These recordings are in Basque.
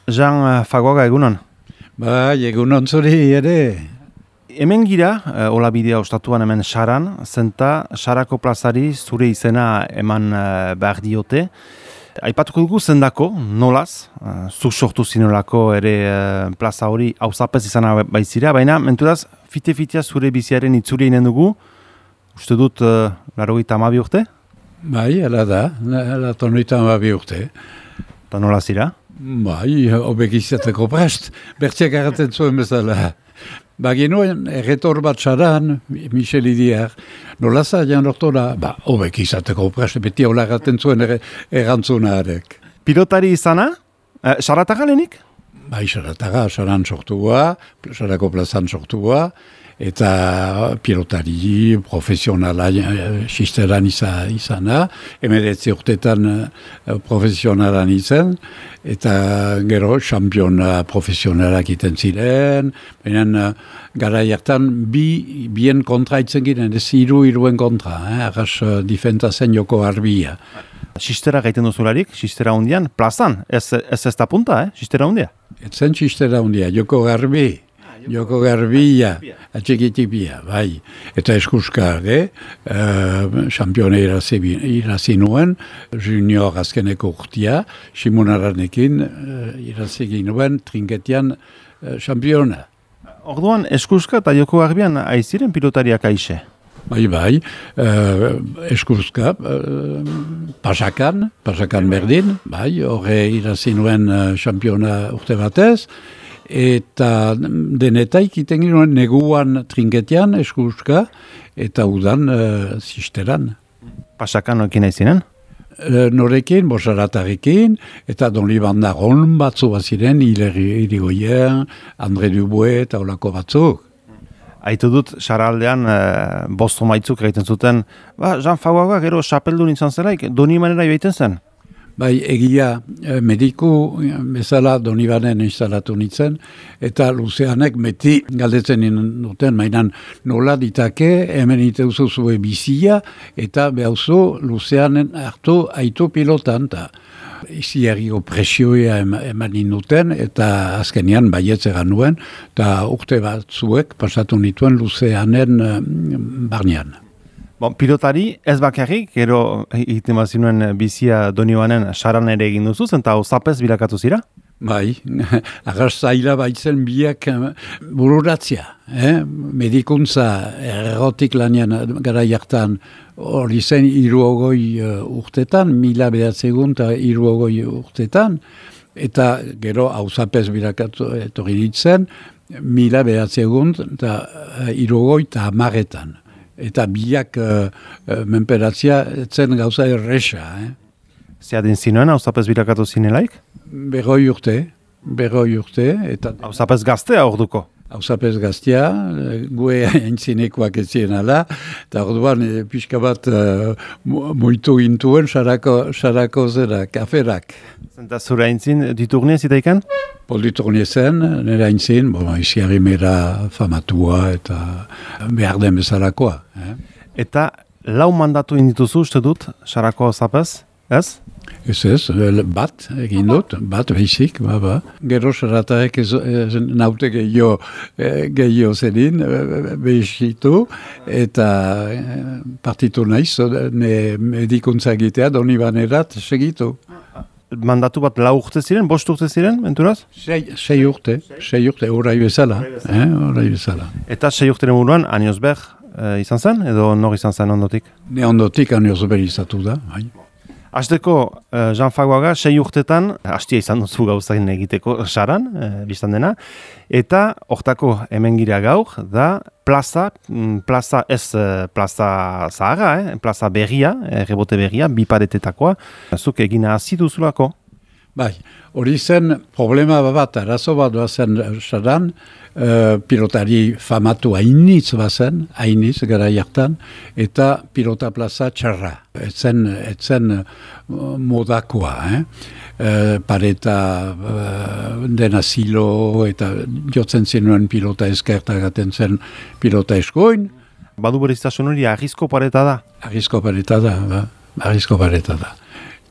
Jean Fagoaga egunon. Bai, egunon zuri ere. Hemen gira, hola bidea ostatuan hemen Saran, zenta Sarako plazari zure izena eman behar diote. Aipatuko dugu zendako, nolaz, zuk sortu zinolako ere plaza hori auzapez izana baizira, baina menturaz, fite-fitea zure biziaren itzuri inen dugu, uste dut 92 urte? Bai, ala da, 92 urte. Eta nola zira? Bai, hobek izateko prest, bertziak erraten zuen bezala. Baginuen, erretor bat Saran, Michel Idiar, nola zailan ortora, hobek izateko prest, beti hola erraten zuen errantzunaarek. Pilotari izana? Sarataga lehenik? Bai, Sarataga, Saran sortua, Sarako plazan sortua, eta pilotari profesionala sisteran izana, 19 urtetan profesionalan izan, eta gero championa profesionalak iten ziren, baina gara hartan bien kontra itzen giren, ez iruen kontra, arras difenta zen Joko Garbia. Sistera gaiten duzularik, sistera hundian, plazan, ez da punta, sistera hundia? Ez zen sistera hundia, Joko Garbi. Joko Garbia, atxekitipia, bai. Eta eskuska, champione irazi nuen, junior azkeneko urtia, Simonaranekin irazi nuen trinketian championa. Orduan, eskuska eta Joko Garbian aiziren pilotariak aixe? Bai, eskuska, pasakan berdin, bai, horre irazi nuen championa urte batez, eta denetaik iten ginoen neguan trinketian, eskuska, eta udan sisteran. Pasakan norekin aizinen? Norekin, Bosaratarekin, eta Don Liban Naron batzu baziren, Irigoyen, André Dubois eta olako batzuk. Aitu dut, Saraldean, bosto maitzuk egiten zuten, Jean Fagoaga gero xapeldun izan zelaik, Doni manera joaiten zen? Bai, egia mediku bezala Donibanen instalatu nintzen, eta Luzeanek meti galdetzen duten, mainan nola ditake, hemen iteuzu zue bizia, eta behauzu Luzeanen hartu aitu pilotan, eta iziarriko presioa eman duten, eta azkenean baietzera nuen, eta urte batzuek pasatu nituen Luzeanen barnean. Pilotari ez bakarrik, gero egiten bazinuen bizia Donioanen Saran ere egin duzuz, eta auzapez bilakatu zira? Bai, agas zaila baitzen biak bururatzia. Medikuntza errotik lanian gara jartan hori zen 60 urtetan, 1903 urtetan, eta gero auzapez bilakatu etorri ditzen, 1930 eta biak menperatzia zen gauza erresa. Zeadin zinuen, auzapez bilakatu zinelaik? Berroi urte. Auzapez gaztea orduko? Auzapez gaztea, gue entzinekoak ez ziren ala, eta orduan pixka bat moitu gintuen sarako zera, kaferak. Zenta zure aintzin diturnia zitaikan? Diturnia zen, nire aintzin, iziarri mera famatua eta behar den bezalakoa. Eta lau mandatu indituzu uste dut, sarako auzapez, ez? Ez, bat egin dut, bat behizik, Gero Saratarek naute gehiago zenin, behizitu, eta partitu naiz, medikuntza egitea, Donibanerat segitu. Mandatu bat 4 urte ziren, 5 urte ziren, menturaz? 6 urte, orai bezala. Eta 6 urteren buruan, Aniosberg izan zen, edo nor izan zen ondotik? Ne ondotik Aniosberg izatu da, bai. Hasteko, Jean Fagoaga, 6 urtetan, hastia izan duzu gauzain egiteko Saran, biztan dena, eta hortako hemen gira gaur, da plaza ez plaza zaharra, plaza berria, rebote berria, bi paretetakoa, zuk egina hasi duzulako? Bai, hori zen problema bat, arazo bat zen Saran, pilotari famatu hainitz bazen, gara jartan, eta pilota plaza txarra. Etzen modakoa, pareta dena zilo, eta jotzen zenuen pilota eskertagaten zen pilota eskoin. Badu bereiztasun hori arrizko pareta da? Arrizko pareta da.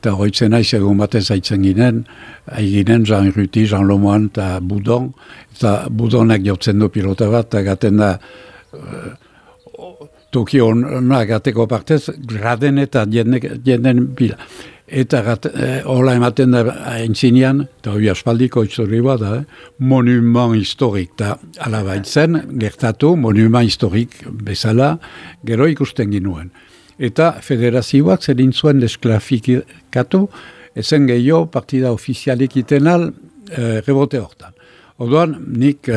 eta hoitzen naiz egun batez aitzen ginen, Jean Ruti, Jean Lomoan eta Budon, eta Budonak jotzen du pilota bat, eta gaten da toki honak gateko partez, graden eta jenden bila. Eta hola ematen da aintzinean, eta hori aspaldiko historia bat da, monument historik, eta alabaitzen, gertatu, monument historik bezala, gero ikusten ginuen. Eta federazioak zerin zuen desklafikatu, ezen gehiago partida ofizialik itenal rebote hortan. Orduan, nik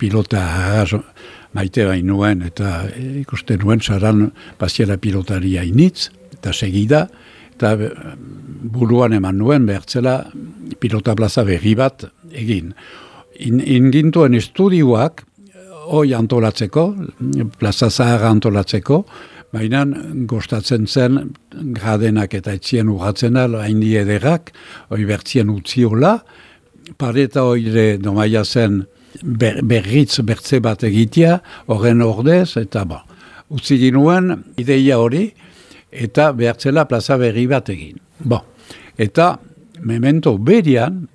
pilota maite bain nuen, eta ikusten nuen saran pasiera pilotaria initz, eta segida, eta buruan eman nuen behartzela pilota plaza berri bat egin. Ingintuen estudioak, hoi antolatzeko, plaza zaharra antolatzeko, baina gostatzen zen gradenak eta etzien urratzen da, haindi ederrak, hoi bertzien utziola, pareta hoire domaia zen berritz bertze bat egitea, horren ordez, eta utzi ginuen ideia hori, eta behartzela plaza berri bat egin. Eta memento berian,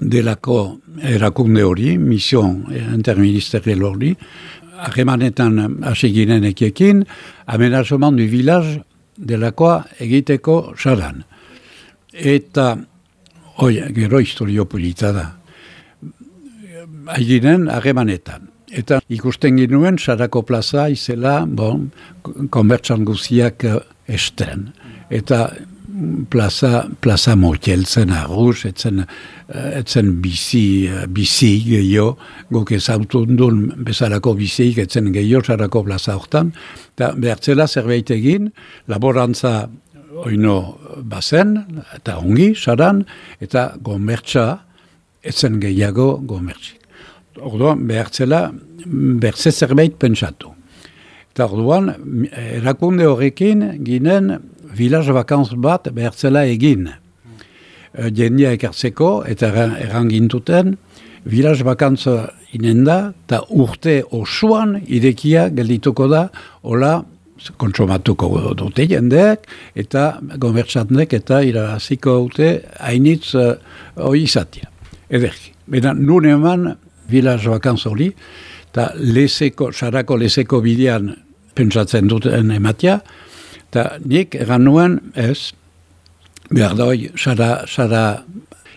delako erakunde hori, mision interministerial hori, harremanetan hasi ginen ekiekin, amenazoman du village delakoa egiteko saran. Eta, gero historio polita da. Haiginen harremanetan. Eta ikusten ginuen, sarako plaza izela, konbertsan guziak esten. Eta plaza moteltzen arruz, etzen bizi gehiago, guk ezautun duen bezalako biziik etzen gehiago sarako plaza hortan. Eta behartzela zerbait egin, laborantza oino bazen, eta ongi, saran, eta gomertsa etzen gehiago gomertzik. Orduan, behartzela, bertze zerbait pentsatu. Eta orduan, erakunde horrekin ginen village vacanz bat behartzela egin. Jendia ekartzeko, eta errangintuten, village vacanz inenda, eta urte osoan irekia geldituko da, hola, kontsumatuko dute jendeak, eta gomertzatnek eta irabaziko dute hainitz hori izatea. Ederki. Bena, nun eman village vacanz hori, eta sarako lezeko bidean pentsatzen duten ematea, eta nik eran nuen ez, behar da hoi, sara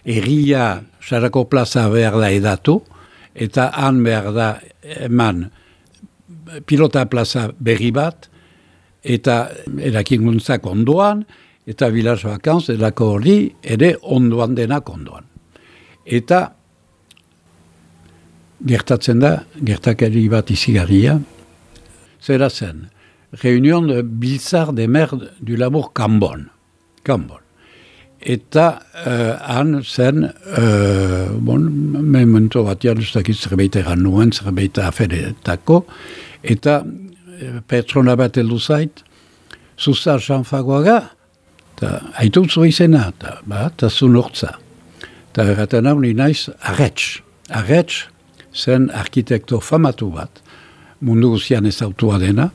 erria, sarako plaza behar da edatu, eta han behar da eman pilota plaza berri bat, eta erakinguntzak ondoan, eta village vacanz edako hori ere ondoan denak ondoan. Eta gertatzen da, gertakari bat izigarria, zera zen, reunion de biltzar de mer du labour Cambon. Eta han zen, memento batian, ez dakit zerbait eran nuen, zerbait aferetako, eta pertsona bat heldu zait, Zuzar Sanfagoaga, eta haitutzu izena, eta zun hortza. Eta erraten hau ni naiz, Arretx zen arkitekto famatu bat, mundu guzian ezautua dena,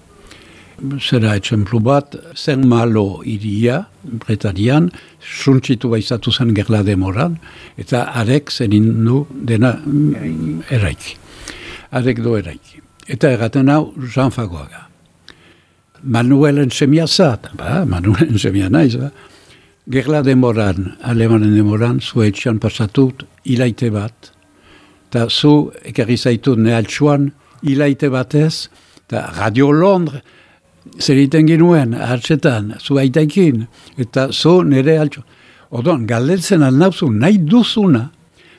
zera etxemplu bat, zen malo iria, Bretanian, suntsitu baizatu zen gerla demoran, eta arek zenin du dena eraiki. Arek do eraiki. Eta erraten hau, Jean Fagoaga. Manuelen semia zat, Manuelen semia naiz, gerla demoran, alemanen demoran, zu etxean pasatut, ilaite bat, eta zu ekarri zaitut nehaltsuan, ilaite batez, eta Radio Londres, zer iten ginuen, hartzetan, zu aitaikin, eta zu nire altsuan. Orduan, galdetzen alnauzu nahi duzuna,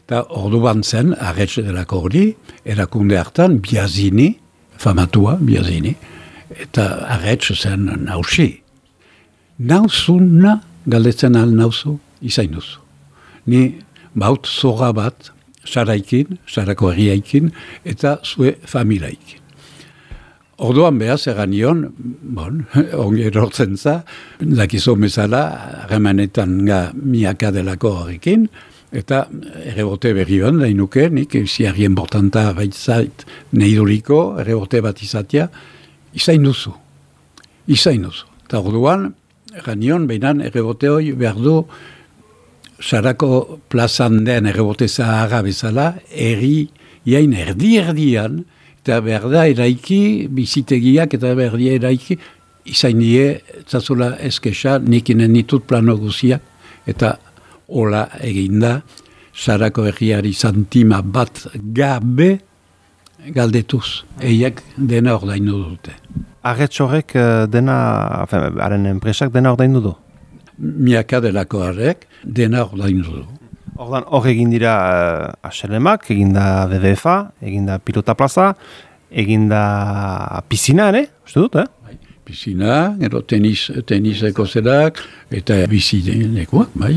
eta orduan zen, Arretxe delako hori, erakunde hartan, Biazini, famatua, Biazini, eta Arretxe zen nausi. Nauzuna, galdetzen alnauzu, izain duzu. Ni baut zora bat, saraikin, sarako herriaikin, eta zue familiaikin. Orduan behaz egan nion, ongi erortzen za, dakizo bezala, harremanetan miaka delako horrekin, eta errebote berri ban, dainuke, nik ziarri importanta baitzait neiduriko, errebote bat izatea, izain duzu. Eta orduan, Ganion, behinan, errebote hori behar du Sarako plazan den errebote zaharra bezala, jain erdi-erdian, eta behar da eraiki, bizitegiak eta behar da eraiki, izain die, zazula eskesa, nikinen ditut plano guziak, eta hola eginda, Sarako herriari santima bat gabe galdetuz. Eiak dena ordaindu dute. Arretxorrek dena, haren enpresak dena ordaindu du? Miaka delako harrek, dena ordaindu du. Ordan hor egin dira HLM-ak, egin da WWF-a, egin da Pilota Plaza, egin da piscina, uste dut, Piscina, gero teniseko zerak, eta bizinekoak, bai.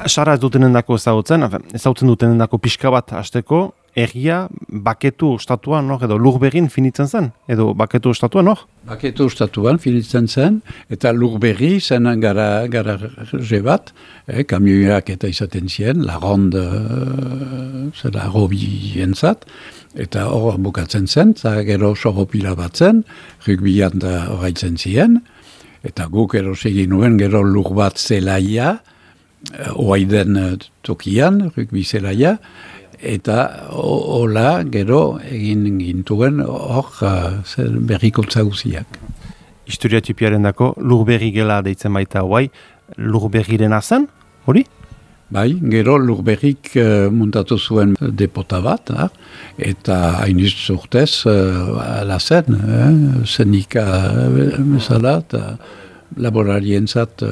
Sara ez dutenen dako ezagutzen dutenen dako pixka bat hasteko, erria baketu ostatuan, edo Lurberrin finitzen zen, edo baketu ostatuan, Baketu ostatuan finitzen zen, eta Lurberri zen garaje bat, kamioiak eta izaten ziren, lagonde, zera robi entzat, eta hor bukatzen zen, eta gero sorropila bat zen, rugbian da horreitzen ziren, eta guk egin nuen gero lur bat zelaia, oaiden tokian, rugbi zelaia, eta hola gero egin gintuen hor berrikuntza guziak. Historia tipiaren dako, Lurberri gela deitzen baita guai, Lurberriren zen, hori? Bai, gero Lurberrik muntatu zuen depota bat, eta hainiz urtez ala zen, zenika bezala, eta laborarientzat.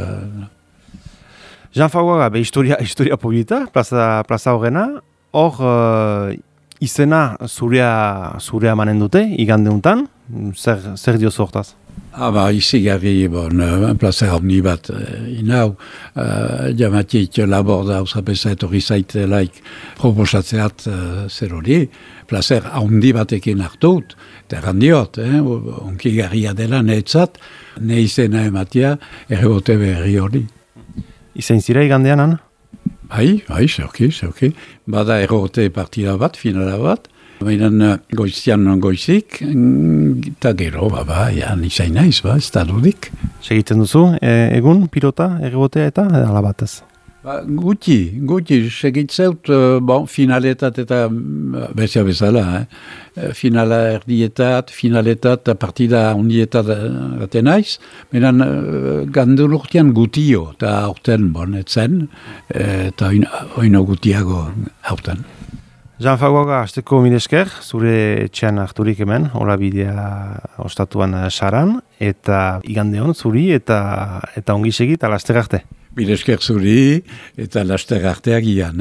Jean Fagoaga, historia polita, plaza horrena, hor izena zurea manen dute, igande untan, zer dio zortaz? Izi gari, plaza honi bat inau, jamatik laborda usapesa etorri zaitelaik proposatzeat zer hori, plazer haundi batekin hartut, eta errandiot, onki garria dela netzat, ne izena ematia errebote berri hori. Izain zira igandean, Bai, zeuki. Bada errote partida bat, finala bat. Baina goizian goizik, eta gero, izain naiz, ez da dudik. Segiten duzu, egun, pilota, errotea eta alabatez? Guti, segitzeut, finaletat eta bezia bezala, finala erdietat, finaletat, partida ondietat gaten naiz, menan gandul urtean gutio, eta aurten etzen, eta oino gutiago aurten. Jean Fagoaga, azteko milesker, zure etxean harturik hemen, hola bidea ostatuan saran, eta igande hon zuri, eta ongi segit, alaster arte. Milesker zuri, eta laster arteak ian,